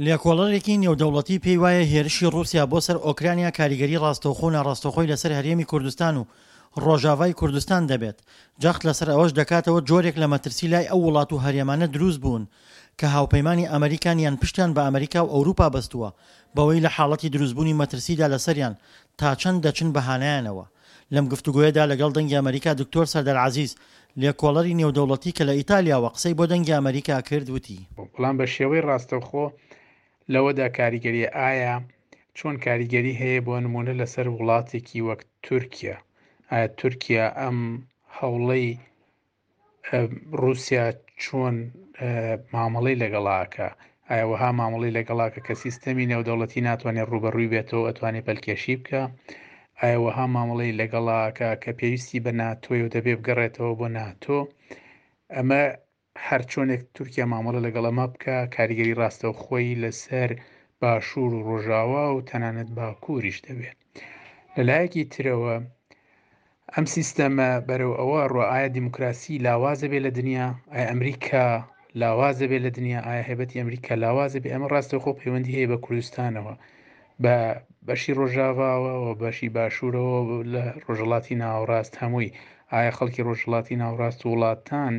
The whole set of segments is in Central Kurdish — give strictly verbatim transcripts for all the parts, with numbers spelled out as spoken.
لێکۆڵەرێکی نێودەوڵەتی پێی وایە هێرشی ڕووسیا بۆ سەر ئۆکرانیا کاریگەری ڕاستەوخۆ و ناڕاستەوخۆی لەسەر هەرێمی کوردستان و ڕۆژاڤای کوردستان دەبێت، جەخت لەسەر ئەوەش دەکاتەوە جۆرێک لە مەترسی لای ئەو وڵات و هەرێمانە دروست بوون کە هاوپەیمانی ئەمریکان یان پشتیان بە ئەمریکا و ئەوروپا بەستووە بەوەی لە حاڵەتی دروستبوونی مەترسیدا لەسەریان تا چەند دەچن بە هانایانەوە. لەم گفتوگۆیەدا لەگەڵ دەنگی ئەمریکا دکتۆر سەردار عەزیز لێکۆڵەری نێودەوڵەتی کە لە ئیتالیاوە قسەی بۆ دەنگی ئەمریکا کرد وتی. بەڵام بە شێوەی ڕاستەوخۆ لەوەدا کاریگەریە ئایا چۆن کاریگەری هەیە بۆ نمونە لەسەر وڵاتێکی وەک تورکیا؟ ئایا تورکیا ئەم هەوڵەی ڕووسیا چۆن مامەڵەی لەگەڵاکە؟ ئایا وەها مامەڵەی لەگەڵاکە کە سیستەمی نێودەوڵەتی ناتوانێت ڕووبەڕووی بێتەوە ئەتوانێت پەلکێشی بکە؟ ئایا وەها مامەڵەی لەگەڵاکە کە پێویستی بە ناتۆی و دەبێ بگەڕێتەوە بۆ ناتۆ؟ ئەمە هەر چۆنێک تورکیا مامەڵە لەگەڵ ئەمە بکە کاریگەری ڕاستەوخۆی لەسەر باشوور و ڕۆژاوا و تەنانەت باکووریش دەبێت. لەلایەکی ترەوە ئەم سیستەمە بەرەو ئەوە ڕۆ ئایا دیموکراسی لاوازە بێ لە دنیا؟ ئایا ئەمریکا لاوازە بێ لە دنیا؟ ئایا هەیبەتی ئەمریکا لاوازە بێ؟ ئەمە ڕاستەوخۆ پەیوەندی هەیە بە کوردستانەوە، بە بەشی ڕۆژاواوە و بەشی باشوورەوە لە ڕۆژهەڵاتی ناوەڕاست هەمووی. ئایا خەڵکی ڕۆژهەڵاتی ناوەڕاست و وڵاتان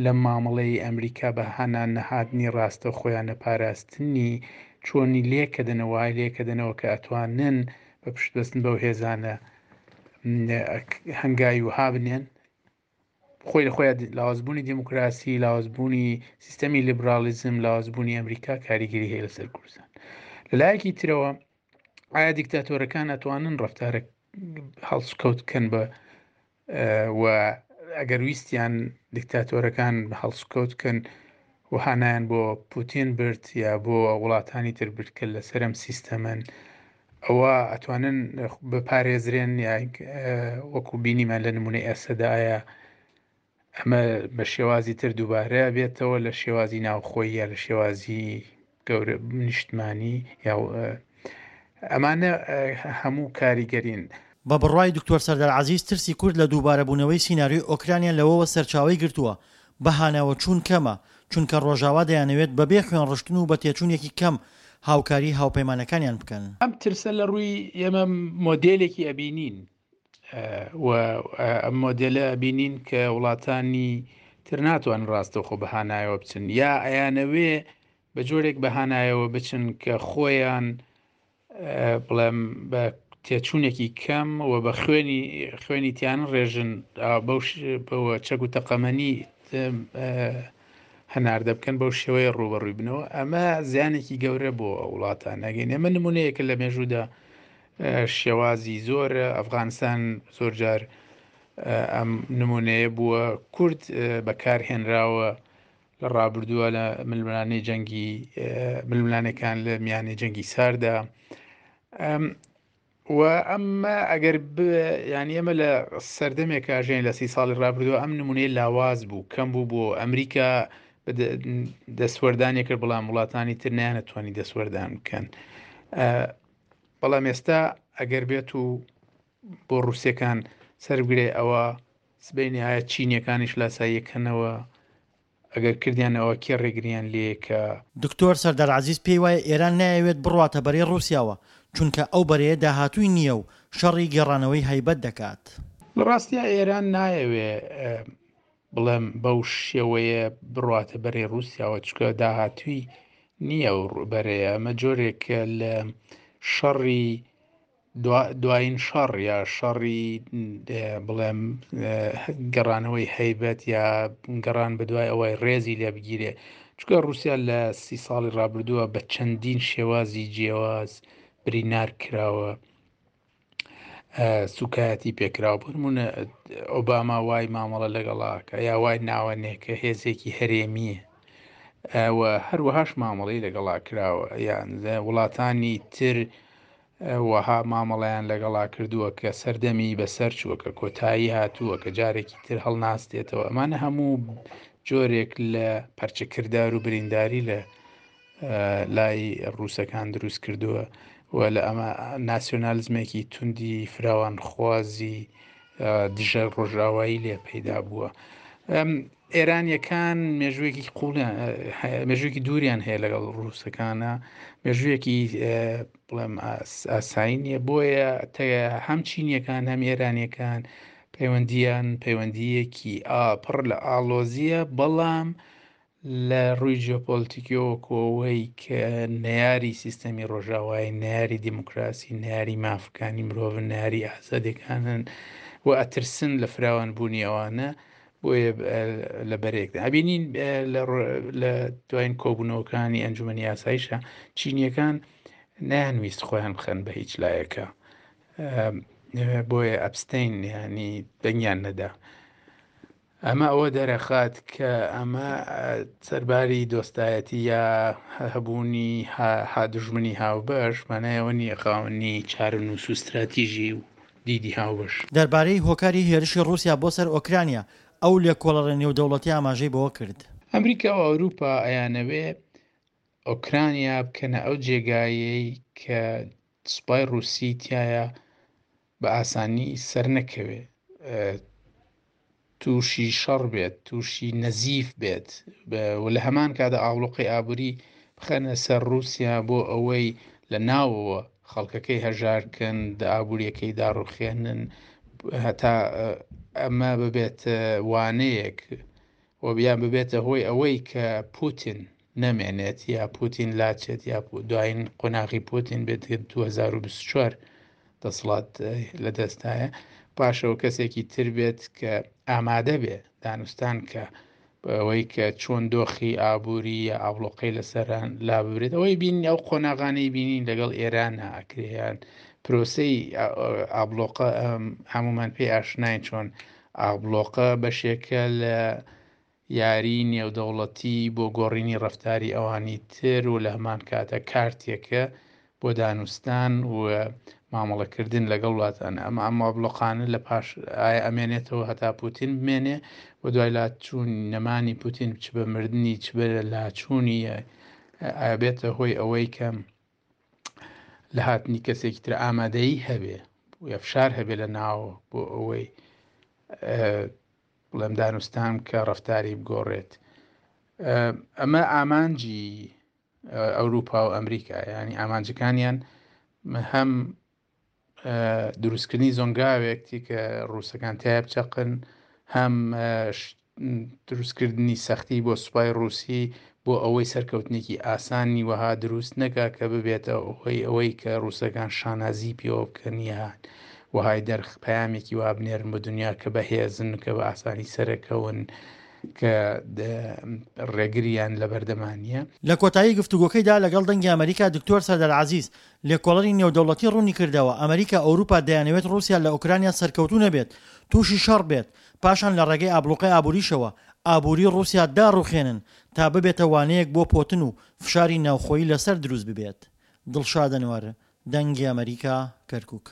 لە مامەڵەی ئەمریکا بە هانا نەهاتنی ڕاستە خۆیان نەپاراستنی چۆنی لێکەدەنەوە، وای لێکەدەنەوە کە ئەتوانن بە پشتبەستن بەو هێزانە هەنگاوی وها بنێن؟ خۆی لە خۆیان لاوازبوونی دیموکراسی، لاوازبوونی سیستەمی لیبرالیزم، لاوازبوونی ئەمریکا کاریگەری هەیە لەسەر کوردستان. لەلایەکی ترەوە ئایا دیکتاتۆرەکان ئەتوانن ڕەفتارە هەڵسوکەوت بکەن بە و ئەگەر ویستیان دیکتاتۆرەکان هەڵسوکەوت بکەن و هانایان بۆ پوتین برد یا بۆ وڵاتانی تر برد کە لەسەر ئەم سیستەمن، ئەوە ئەتوانن بپارێزرێن یا وەکو بینیمان لە نمونەی ئەسەدا ئایا ئەمە بە شێوازی تر دووبارە بێتەوە لە شێوازی ناوخۆی یا لە شێوازی گەورە نیشتمانی یا ئەمانە هەموو کاریگەرین. بە بڕوای دکتۆر سەردار عەزیز ترسی کورد لە دووبارەبوونەوەی سیناریۆی ئۆکرانیا لەوەوە سەرچاوەی گرتووە بە هاناوە چوون کەمە، چونکە ڕۆژاوا دەیانەوێت بەبێ خوێنڕشتن و بە تێچوونێکی کەم هاوکاری هاوپەیمانەکانیان بکەن. ئەم ترسە لە ڕووی ئێمە مۆدێلێکی ئەبینین و ئەم مۆدێلە ئەبینین کە وڵاتانی تر ناتوانن ڕاستەوخۆ بە هانایەوە بچن یا ئەیانەوێ بە جۆرێک بە هانایەوە بچن کە خۆیان بڵێم بە تێچوونێکی کەم و بە خوێنی خوێنی تیان ڕێژن بەوە چەک و تەقەمەنی هەناردە بکەن بەو شێوەیە ڕوبەڕووی بنەوە. ئەمە زیانێکی گەورە بۆ وڵاتان نەگەین. ئێمە نمونەیەکە لە مێژوودا شێوازی زۆر، ئەفغانستان زۆر جار ئەم نمونەیە بووە، کورد بەکارهێنراوە لە ڕابردووە لە ململانێی جەنگی ململانێکان لە میانەی جەنگی ساردا. و ئەمە ئەگەر ینی ئێمە لە سەردەمێک ژێن لە سی ساڵی ڕابردووە ئەم نمونەیە لاواز بوو، کەم بوو بۆ ئەمریکا دەستوەردانی کرد، بەڵام وڵاتانی تر نەیانەتوانی دەستوەردان بکەن. بەڵام ئێستا ئەگەر بێت و بۆ ڕووسەکان سەربگرێ ئەوە سبەینێ ئایا چینیەکانیش لاساییەکەنەوە؟ ئەگەر کردیانەوە کێ ڕێگریان لێکە؟ دکتۆر سەردار عەزیز پێی وایە ئێران نایەوێت بڕواتە بەرەی ڕووسیاوە، چونکە ئەو بەرەیە داهاتووی نییە و شەڕی گێڕانەوەی هەیبەت دەکات. لە ڕاستیا ئێران نایەوێ بڵێم بەو شێوەیە بڕواتە بەرەی ڕووسیاوە، چونکە داهاتووی نییە و بەرەیە. ئەمە جۆرێکە لە شەڕی دوایین شەڕ یا شەڕی بڵێم گەڕانەوەی هەیبەت یا گەڕان بە دوای ئەوەی ڕێزی لێ بگیرێ، چونکە ڕووسیا لە سی ساڵی ڕابردووە بە چەندین شێوازی جیاواز برینار کراوە، سوکایەتی پێکراوە. بۆ نمونە ئۆباما وای مامەڵە لەگەڵاکە یا وای ناوەنێ کە هێزێکی هەرێمیە و هەروەهاش مامەڵەی لەگەڵا کراوە، یان وڵاتانی تر وەها مامەڵەیان لەگەڵا کردووە کە سەردەمی بەسەر چووە، کە کۆتایی هاتووە، کە جارێکی تر هەڵناستێتەوە. ئەمانە هەموو جۆرێک لە پەرچەکردار و برینداری لە لای ڕووسەکان دروست کردووە و لە ئەمە ناسیۆنالیزمێکی توندی فراوانخوازی دژە ڕۆژاوایی لێ پەیدا بووە. ئێرانیەکان مێژوویەکی قوڵیان مێژوویەکی دووریان هەیە لەگەڵ ڕووسەکانە، مێژوویەکی بڵێم ئاسایی نییە. بۆیە هەم چینیەکان هەم ئێرانیەکان پەیوەندیان پەیوەندیەکی پڕ لە ئاڵۆزیە، بەڵام لە ڕووی جیۆپۆلیتیکیەوە کۆوەی کە نەیاری سیستەمی ڕۆژاوای، نەیاری دیموکراسی، نەیاری مافەکانی مرۆڤ، نەیاری ئازادیەکانن و ئەترسن لە فراوانبوونی ئەوانە، بۆیە لە بەرێکدا ئەبینین لە دوایین کۆبوونەوەکانی ئەنجومەنی یاساییشە چینیەکان نەیانویست خۆیان بخەن بە هیچ لایەکە، بۆیە ئەبستین ینی دەنگیان نەدا. ئەمە ئەوە دەرەخات کە ئەمە سەرباری دۆستایەتی یا هەبوونی دژمنی هاوبەش مانایەوە نییە خاوەنی چارەنووس و استراتیژی و دیدی هاوبەش. دەربارەی هۆکاری هێرشی ڕووسیا بۆ سەر ئۆکرانیا ئەو لێکۆڵەرە نێودەوڵەتی ئاماژەی بەوە کرد. ئەمریکا و ئەوروپا ئەیانەوێ ئۆکرانیا بکەنە ئەو جێگایەی کە سوپای ڕووسی تایە بە ئاسانی سەر نەکەوێ، تووشی شەڕ بێت، تووشی نەزیف بێت و لە هەمان کاتدا ئاوڵۆقەی ئابووری بخەنە سەر ڕووسیا بۆ ئەوەی لە ناوەوە خەڵکەکەی هەژارکەن، ئابووریەکەی داڕوخێنن، هەتا ئەمە ببێت وانەیەک و بیان ببێتە هۆی ئەوەی کە پوتین نەمێنێت یا پوتین لاچێت یا دوایین قۆناغی پوتین بێت دوو هەزار و بیست و چوار دەسەڵات لەدەستایە، پاشەوە کەسێکی تر بێت کە ئامادە بێ دانوستان کە ئەوەی کە چۆن دۆخی ئابووری یا ئابلۆقەی لەسەران لا ببرێت. ئەوەی بینین ئەو قۆناغانەی بینین لەگەڵ ئێران ئاکرێیان پرۆسەی ئابلۆقە هەمومان پێی ئاشناین چۆن ئابلۆقە بەشێکە لە یاری نێودەوڵەتی بۆ گۆڕینی ڕەفتاری ئەوانی تر و لە هەمان کاتە کارتێکە بۆ دانوستان و مامەڵەکردن لەگەڵ وڵاتان. ئەمە ئەم ئابلۆقانە لە پاش ئایا ئەمێنێتەوە هەتا پوتین بمێنێ و دوای لاچوون نەمانی پوتین چ بە مردنی چ بە لاچوونی ئایا بێتە هۆی ئەوەی کە لە هاتنی کەسێکی تر ئامادەیی هەبێ یا فشار هەبێ لە ناوە بۆ ئەوەی بڵێم دانوستان کە ڕەفتاری بگۆڕێت. ئەمە ئامانجی ئەوروپا و ئەمریکا، ینی ئامانجەکانیان هەم دروستکردنی زۆنگاوێک تی کە ڕووسەکان تیا بچەقن، هەم دروستکردنی سەختی بۆ سوپای ڕووسی بۆ ئەوەی سەرکەوتنێکی ئاسانی وەها دروست نەکا کە ببێتە ئەوەی ئەوەی کە ڕووسەکان شانازی پێوە بکەن یان وەهای دەرخ پەیامێکی وا بنێرن بۆ دنیا کە بەهێزن، کە بە ئاسانی سەرەکەون، کە ڕێگریان لە بەردەمانیە. لە کۆتایی گفتوگۆکەیدا لەگەڵ دەنگی ئەمریکا دکتۆر سەردار عەزیز لێکۆڵەری نێودەوڵەتی ڕوونی کردەوە ئەمریکا ئەوروپا دەیانەوێت ڕووسیا لە ئۆکرانیا سەرکەوتوو نەبێت، تووشی شەڕ بێت، پاشان لە ڕێگەی ئابلوقەی ئابووریشەوە ئابووری ڕووسیا داڕوخێنن تا ببێتە وانەیەک بۆ پۆتن و فشاری ناوخۆیی لەسەر دروست ببێت. دڵشاد ئەنوەر، دەنگی ئەمریکا، کەرکووک.